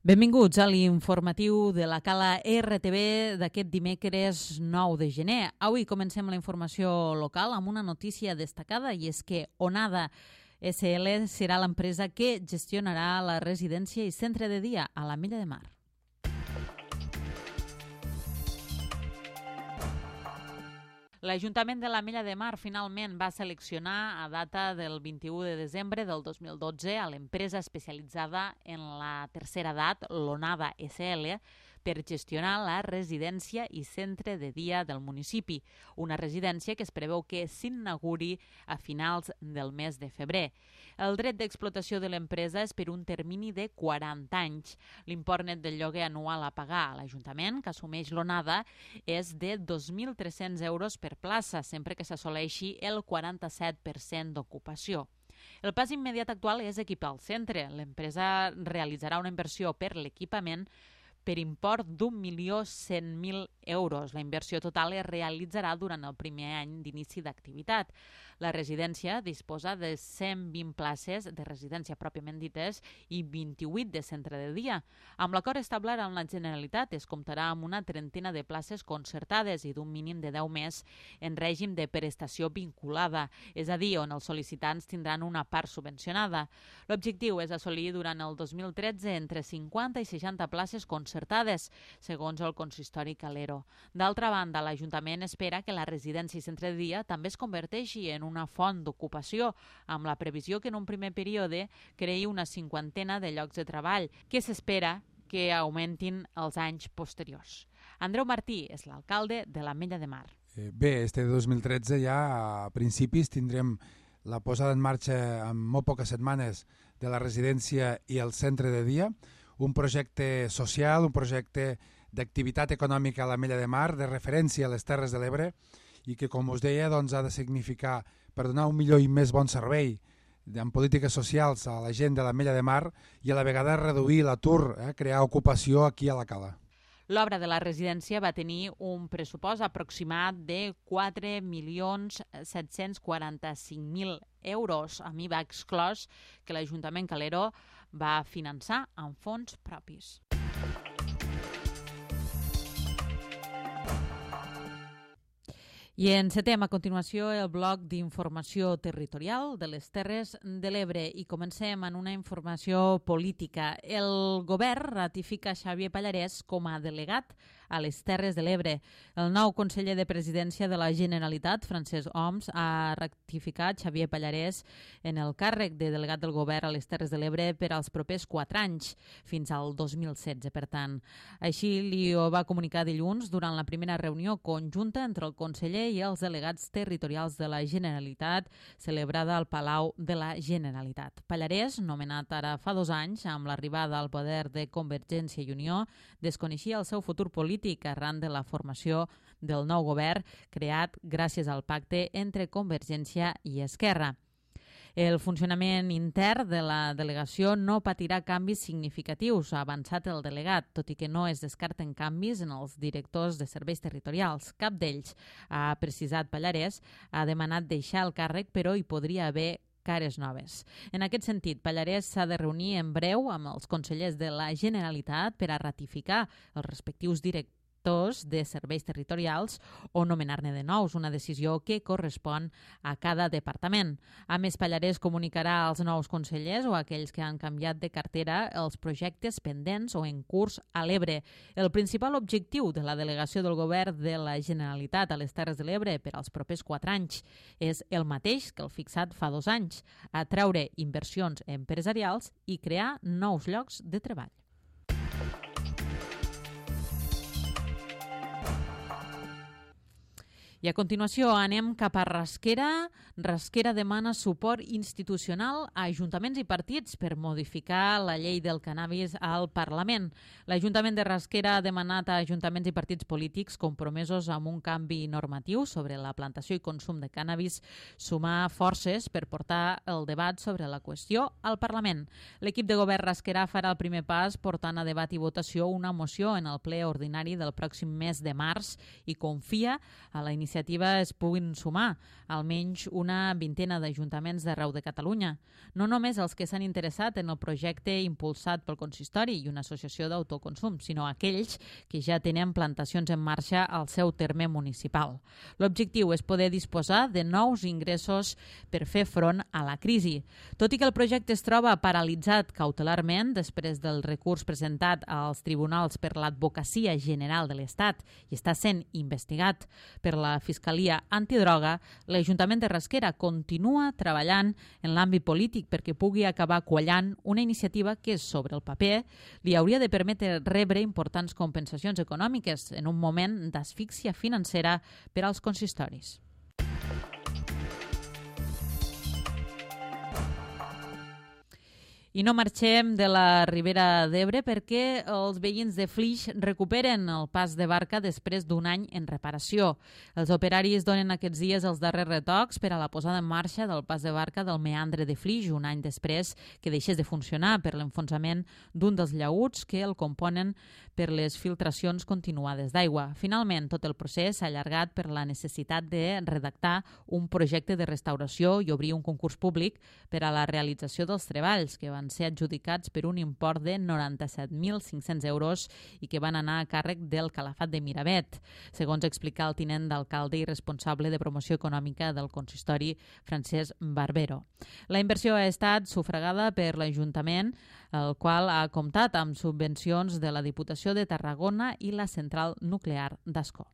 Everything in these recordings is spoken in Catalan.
Benvinguts a l'informatiu de la Cala RTV d'aquest dimecres 9 de gener. Avui comencem la informació local amb una notícia destacada i és que Onada SL serà l'empresa que gestionarà la residència i centre de dia a l'Ametlla de Mar. L'Ajuntament de l'Ametlla de Mar finalment va seleccionar a data del 21 de desembre del 2012 a l'empresa especialitzada en la tercera edat, l'Onada SL, per gestionar la residència i centre de dia del municipi, una residència que es preveu que s'inauguri a finals del mes de febrer. El dret d'explotació de l'empresa és per un termini de 40 anys. L'import net del lloguer anual a pagar a l'Ajuntament, que assumeix l'Onada, és de 2.300 euros per plaça, sempre que s'assoleixi el 47% d'ocupació. El pas immediat actual és equipar el centre. L'empresa realitzarà una inversió per l'equipament per import d'1.100.000 euros. La inversió total es realitzarà durant el primer any d'inici d'activitat. La residència disposa de 120 places de residència pròpiament dites i 28 de centre de dia. Amb l'acord establert amb la Generalitat es comptarà amb una trentena de places concertades i d'un mínim de 10 més en règim de prestació vinculada, és a dir, on els sol·licitants tindran una part subvencionada. L'objectiu és assolir durant el 2013 entre 50 i 60 places concertades, segons el consistori Calero. D'altra banda, l'Ajuntament espera que la residència i centre de dia també es converteixi en una font d'ocupació, amb la previsió que en un primer període creï una cinquantena de llocs de treball, que s'espera que augmentin els anys posteriors. Andreu Martí és l'alcalde de l'Ametlla de Mar. Bé, este 2013 ja a principis tindrem la posada en marxa en molt poques setmanes de la residència i el centre de dia, un projecte social, un projecte d'activitat econòmica a l'Ametlla de Mar, de referència a les Terres de l'Ebre, i que, com us deia, doncs, ha de significar, per donar un millor i més bon servei en polítiques socials a la gent de l'Ametlla de Mar i a la vegada reduir l'atur, crear ocupació aquí a la Cala. L'obra de la residència va tenir un pressupost aproximat de 4.745.000 euros. A mi va exclòs que l'Ajuntament Calero va finançar amb fons propis. I encetem a continuació el bloc d'informació territorial de les Terres de l'Ebre i comencem en una informació política. El govern ratifica Xavier Pallarès com a delegat a les Terres de l'Ebre. El nou conseller de Presidència de la Generalitat, Francesc Homs, ha ratificat Xavier Pallarès en el càrrec de delegat del govern a les Terres de l'Ebre per als propers 4 anys, fins al 2016, per tant. Així li ho va comunicar dilluns durant la primera reunió conjunta entre el conseller i els delegats territorials de la Generalitat celebrada al Palau de la Generalitat. Pallarès, nomenat ara fa 2 anys amb l'arribada al poder de Convergència i Unió, desconeixia el seu futur polític arran de la formació del nou govern creat gràcies al pacte entre Convergència i Esquerra. El funcionament intern de la delegació no patirà canvis significatius, ha avançat el delegat, tot i que no es descarten canvis en els directors de serveis territorials. Cap d'ells, ha precisat Pallarès, ha demanat deixar el càrrec, però hi podria haver cares noves. En aquest sentit, Pallarès s'ha de reunir en breu amb els consellers de la Generalitat per a ratificar els respectius directors de serveis territorials o nomenar-ne de nous, una decisió que correspon a cada departament. A més, Pallarès comunicarà als nous consellers o a aquells que han canviat de cartera els projectes pendents o en curs a l'Ebre. El principal objectiu de la delegació del govern de la Generalitat a les Terres de l'Ebre per als propers 4 anys és el mateix que el fixat fa 2 anys, atraure inversions empresarials i crear nous llocs de treball. I a continuació anem cap a Rasquera. Rasquera demana suport institucional a ajuntaments i partits per modificar la llei del cannabis al Parlament. L'Ajuntament de Rasquera ha demanat a ajuntaments i partits polítics compromesos amb un canvi normatiu sobre la plantació i consum de cannabis sumar forces per portar el debat sobre la qüestió al Parlament. L'equip de govern rasquerà farà el primer pas portant a debat i votació una moció en el ple ordinari del pròxim mes de març i confia a la iniciativa iniciativa es puguin sumar almenys una vintena d'ajuntaments d'arreu de Catalunya. No només els que s'han interessat en el projecte impulsat pel consistori i una associació d'autoconsum, sinó aquells que ja tenen plantacions en marxa al seu terme municipal. L'objectiu és poder disposar de nous ingressos per fer front a la crisi. Tot i que el projecte es troba paralitzat cautelarment després del recurs presentat als tribunals per l'Advocacia General de l'Estat i està sent investigat per la Fiscalia Antidroga, l'Ajuntament de Rasquera continua treballant en l'àmbit polític perquè pugui acabar quallant una iniciativa que, sobre el paper, li hauria de permetre rebre importants compensacions econòmiques en un moment d'asfíxia financera per als consistoris. I no marxem de la Ribera d'Ebre perquè els veïns de Flix recuperen el pas de barca després d'un any en reparació. Els operaris donen aquests dies els darrers retocs per a la posada en marxa del pas de barca del meandre de Flix, un any després que deixés de funcionar per l'enfonsament d'un dels llaüts que el componen per les filtracions continuades d'aigua. Finalment, tot el procés s'ha allargat per la necessitat de redactar un projecte de restauració i obrir un concurs públic per a la realització dels treballs, que van ser adjudicats per un import de 97.500 euros i que van anar a càrrec del Calafat de Miravet, segons explica el tinent d'alcalde i responsable de promoció econòmica del consistori, Francesc Barbero. La inversió ha estat sufragada per l'Ajuntament, el qual ha comptat amb subvencions de la Diputació de Tarragona i la Central Nuclear d'Ascó.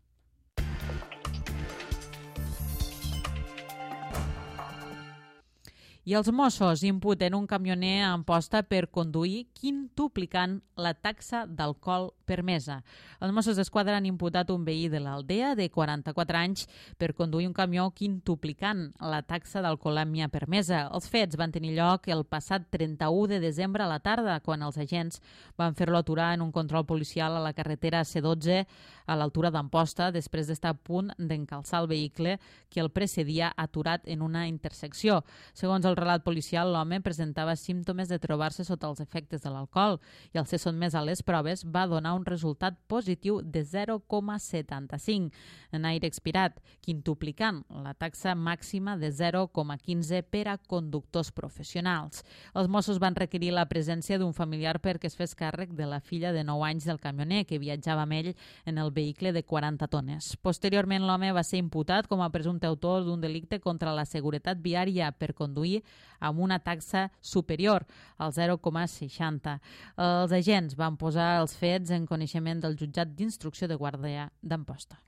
I els Mossos imputen un camioner a Amposta per conduir quintuplicant la taxa d'alcohol permesa. Els Mossos d'Esquadra han imputat un veí de l'Aldea de 44 anys per conduir un camió quintuplicant la taxa d'alcoholèmia permesa. Els fets van tenir lloc el passat 31 de desembre a la tarda, quan els agents van fer-lo aturar en un control policial a la carretera C12 a l'altura d'Amposta, després d'estar a punt d'encalçar el vehicle que el precedia aturat en una intersecció. Segons el relat policial, l'home presentava símptomes de trobar-se sota els efectes de l'alcohol i al ser sotmès a les proves va donar un resultat positiu de 0,75 en aire expirat, quintuplicant la taxa màxima de 0,15 per a conductors professionals. Els Mossos van requerir la presència d'un familiar perquè es fes càrrec de la filla de 9 anys del camioner que viatjava amb ell en el vehicle de 40 tones. Posteriorment, l'home va ser imputat com a presumpte autor d'un delicte contra la seguretat viària per conduir amb una taxa superior al 0,60. Els agents van posar els fets en coneixement del jutjat d'instrucció de Guàrdia d'Amposta.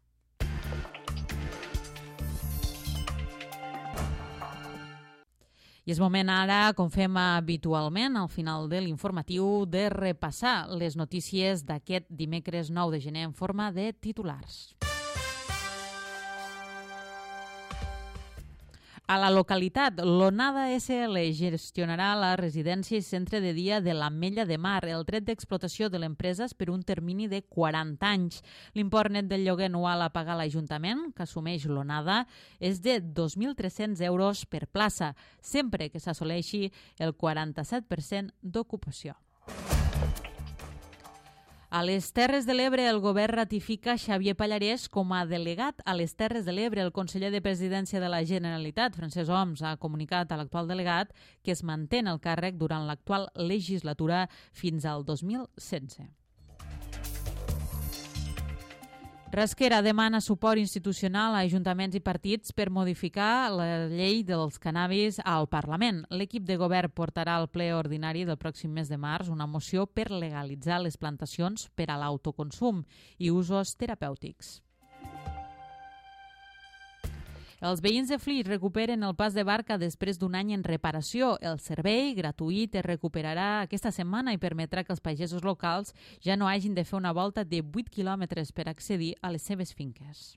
I és moment ara, com fem habitualment al final de l'informatiu, de repassar les notícies d'aquest dimecres 9 de gener en forma de titulars. A la localitat, l'Onada SL gestionarà la residència i centre de dia de l'Ametlla de Mar. El dret d'explotació de l'empresa és per un termini de 40 anys. L'import net del lloguer anual a pagar a l'Ajuntament, que assumeix l'Onada, és de 2.300 euros per plaça, sempre que s'assoleixi el 47% d'ocupació. A les Terres de l'Ebre, el govern ratifica Xavier Pallarès com a delegat a les Terres de l'Ebre. El conseller de Presidència de la Generalitat, Francesc Homs, ha comunicat a l'actual delegat que es manté en el càrrec durant l'actual legislatura fins al 2016. Rasquera demana suport institucional a ajuntaments i partits per modificar la llei dels cannabis al Parlament. L'equip de govern portarà al ple ordinari del pròxim mes de març una moció per legalitzar les plantacions per a l'autoconsum i usos terapèutics. Els veïns de Flix recuperen el pas de barca després d'un any en reparació. El servei gratuït es recuperarà aquesta setmana i permetrà que els pagesos locals ja no hagin de fer una volta de 8 quilòmetres per accedir a les seves finques.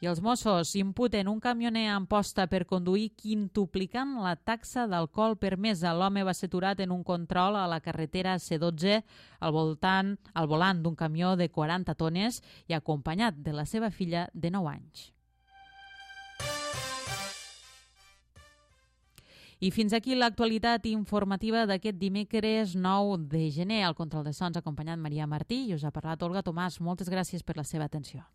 I els Mossos imputen un camioner a Amposta per conduir quintuplicant la taxa d'alcohol permesa. L'home va ser aturat en un control a la carretera C12 al volant d'un camió de 40 tones i acompanyat de la seva filla de 9 anys. I fins aquí l'actualitat informativa d'aquest dimecres 9 de gener. Al control de sons ha acompanyat Maria Martí i us ha parlat Olga Tomàs. Moltes gràcies per la seva atenció.